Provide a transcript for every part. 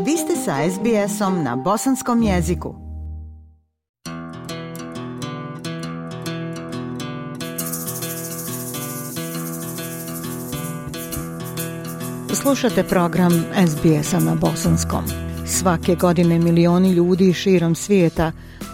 Vi ste sa SBS-om na bosanskom jeziku. Slušate program SBS-a na bosanskom. Svake godine milioni ljudi širom svijeta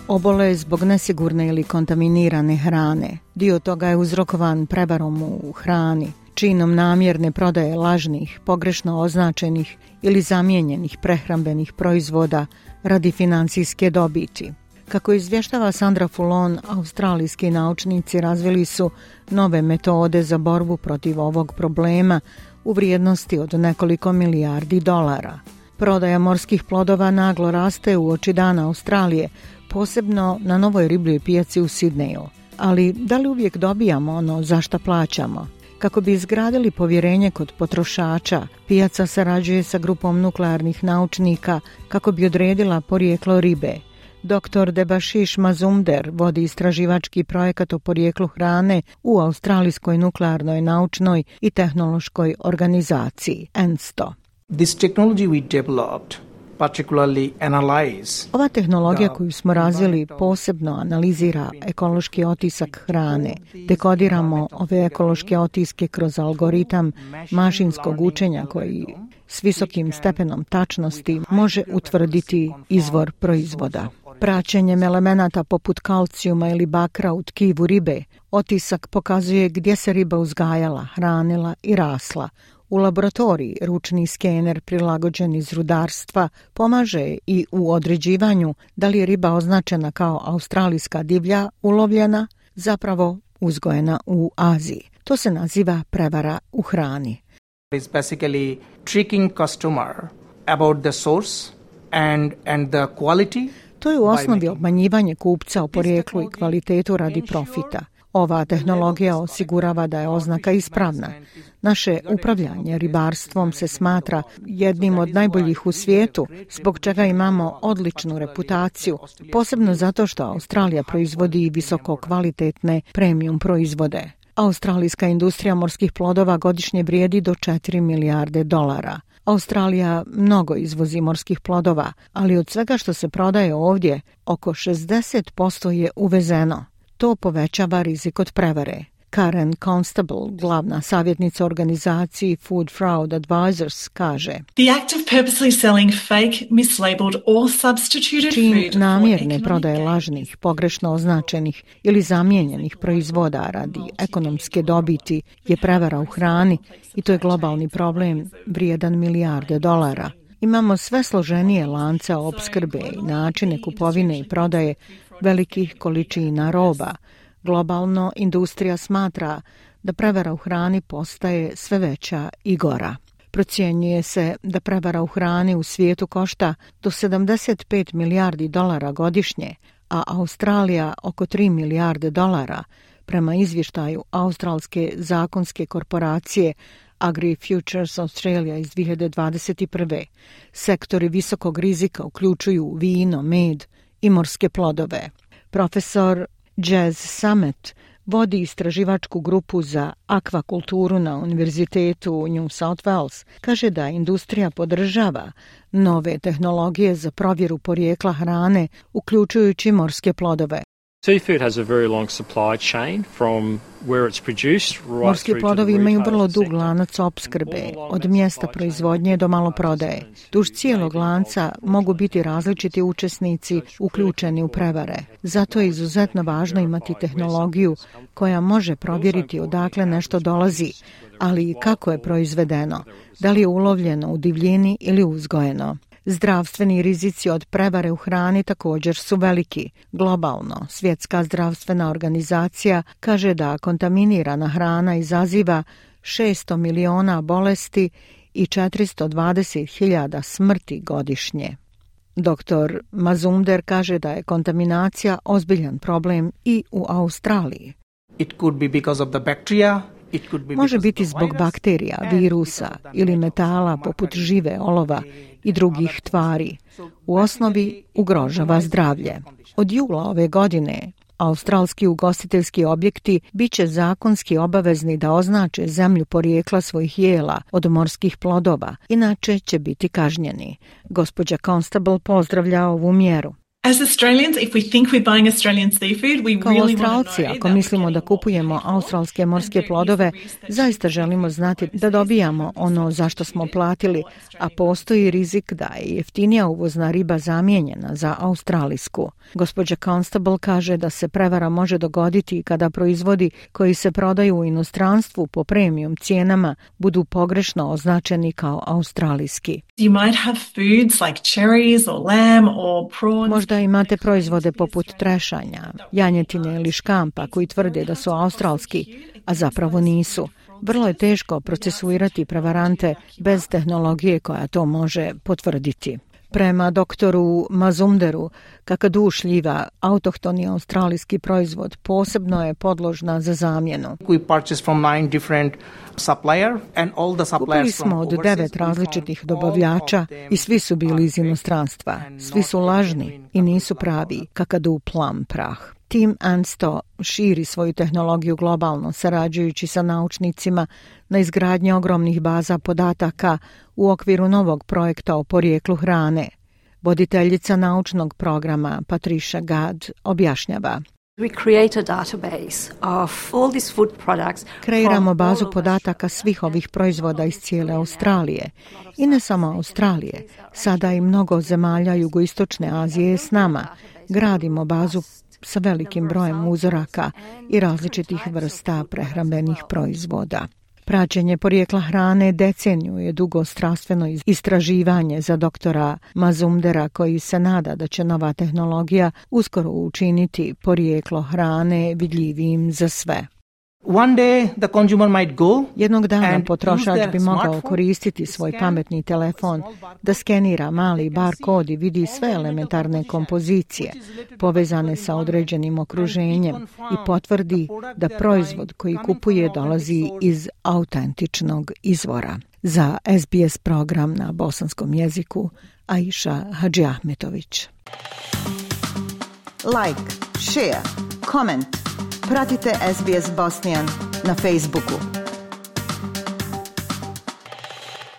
obole zbog nesigurne ili kontaminirane hrane. Dio toga je uzrokovan prevarom u hrani, činom namjerne prodaje lažnih, pogrešno označenih ili zamijenjenih prehrambenih proizvoda radi financijske dobiti. Kako izvještava Sandra Fulon, australijski naučnici razvili su nove metode za borbu protiv ovog problema u vrijednosti od nekoliko milijardi dolara. Prodaja morskih plodova naglo raste uoči dana Australije, posebno na novoj ribljoj pijaci u Sidneju. Ali da li uvijek dobijamo ono za šta plaćamo? Kako bi izgradili povjerenje kod potrošača, pijaca sarađuje sa grupom nuklearnih naučnika kako bi odredila porijeklo ribe. Dr. Debashish Mazumder vodi istraživački projekat o porijeklu hrane u Australijskoj nuklearnoj naučnoj i tehnološkoj organizaciji ENSTO. This technology we developed particularly analyze. Ova tehnologija koju smo razvili posebno analizira ekološki otisak hrane. Dekodiramo ove ekološke otiske kroz algoritam mašinskog učenja koji s visokim stepenom tačnosti može utvrditi izvor proizvoda. Praćenjem elemenata poput kalcijuma ili bakra u tkivu ribe, otisak pokazuje gdje se riba uzgajala, hranila i rasla. U laboratoriji ručni skener prilagođen iz rudarstva pomaže i u određivanju da li je riba označena kao australijska divlja ulovljena, zapravo uzgojena u Aziji. To se naziva prevara u hrani. It's basically tricking customer about the source and the quality. To je u osnovi obmanjivanje kupca o porijeklu i kvalitetu radi profita. Ova tehnologija osigurava da je oznaka ispravna. Naše upravljanje ribarstvom se smatra jednim od najboljih u svijetu, zbog čega imamo odličnu reputaciju, posebno zato što Australija proizvodi visoko kvalitetne premium proizvode. Australijska industrija morskih plodova godišnje vrijedi do 4 milijarde dolara. Australija mnogo izvozi morskih plodova, ali od svega što se prodaje ovdje, oko 60% je uvezeno. To povećava rizik od prevare. Karen Constable, glavna savjetnica organizaciji Food Fraud Advisors, kaže: The act of purposely selling fake, mislabeled or substituted food. Čin namjerne prodaje lažnih, pogrešno označenih ili zamijenjenih proizvoda radi ekonomske dobiti je prevara u hrani i to je globalni problem vrijedan milijarde dolara. Imamo sve složenije lance opskrbe i načine kupovine i prodaje velikih količina roba. Globalno industrija smatra da prevara u hrani postaje sve veća i gora. Procjenjuje se da prevara u hrani u svijetu košta do 75 milijardi dolara godišnje, a Australija oko 3 milijarde dolara, prema izvještaju australske zakonske korporacije AgriFutures Australia iz 2021. Sektori visokog rizika uključuju vino, med i morske plodove. Profesor Jazz Summit vodi istraživačku grupu za akvakulturu na Univerzitetu New South Wales. Kaže da industrija podržava nove tehnologije za provjeru porijekla hrane, uključujući morske plodove. Seafood has a very long supply chain from where it's produced right. Morski plodovi imaju vrlo dug lanac opskrbe, od mjesta proizvodnje do maloprodaje. Duž cijelog lanca mogu biti različiti učesnici uključeni u prevare. Zato je izuzetno važno imati tehnologiju koja može provjeriti odakle nešto dolazi, ali i kako je proizvedeno, da li je ulovljeno u divljini ili uzgojeno. Zdravstveni rizici od prevare u hrani također su veliki. Globalno, Svjetska zdravstvena organizacija kaže da kontaminirana hrana izaziva 600 miliona bolesti i 420.000 smrti godišnje. Dr. Mazumder kaže da je kontaminacija ozbiljan problem i u Australiji. It could be because of the bacteria. Može biti zbog bakterija, virusa ili metala poput žive, olova i drugih tvari. U osnovi ugrožava zdravlje. Od jula ove godine Australski ugostiteljski objekti biće zakonski obavezni da označe zemlju porijekla svojih jela od morskih plodova, inače će biti kažnjeni. Gospođa Constable pozdravlja ovu mjeru. As Australians, if we think we're buying Australian seafood, we Kao really Australci, want to know ako that mislimo we're da getting kupujemo australske morske plodove, zaista želimo znati da dobijamo ono za što smo platili, a postoji rizik da je jeftinija uvozna riba zamijenjena za australijsku. Gospođa Constable kaže da se prevara može dogoditi kada proizvodi koji se prodaju u inostranstvu po premium cijenama budu pogrešno označeni kao australijski. You might have foods like cherries or lamb or prawns. Možda imate proizvode poput trešanja, janjetine ili škampa koji tvrde da su australski, a zapravo nisu. Vrlo je teško procesuirati prevarante bez tehnologije koja to može potvrditi. Prema doktoru Mazumderu, kakadu šljiva, autohtoni australijski proizvod posebno je podložna za zamjenu. We purchased from 9 different supplier and all the suppliers Kupili smo od 9 različitih dobavljača i svi su bili iz inostranstva. Svi su lažni i nisu pravi, kakadu plum prah. Tim Ansto širi svoju tehnologiju globalno, sarađujući sa naučnicima na izgradnji ogromnih baza podataka u okviru novog projekta o porijeklu hrane. Voditeljica naučnog programa Patricia Gadd objašnjava. Kreiramo bazu podataka svih ovih proizvoda iz cijele Australije. I ne samo Australije, sada i mnogo zemalja jugoistočne Azije je s nama. Gradimo bazu sa velikim brojem uzoraka i različitih vrsta prehrambenih proizvoda. Praćenje porijekla hrane deceniju je dugo strastveno istraživanje za doktora Mazumdera, koji se nada da će nova tehnologija uskoro učiniti porijeklo hrane vidljivijim za sve. One day the consumer might go Jednog dana and potrošač use bi their mogao smartphone koristiti svoj pametni telefon da skenira mali bar kod i vidi sve elementarne kompozicije povezane sa određenim okruženjem i potvrdi da proizvod koji kupuje dolazi iz autentičnog izvora. Za SBS program na bosanskom jeziku, Aisha Hadžiahmetović. Like, share, comment. Pratite SBS Bosnian na Facebooku.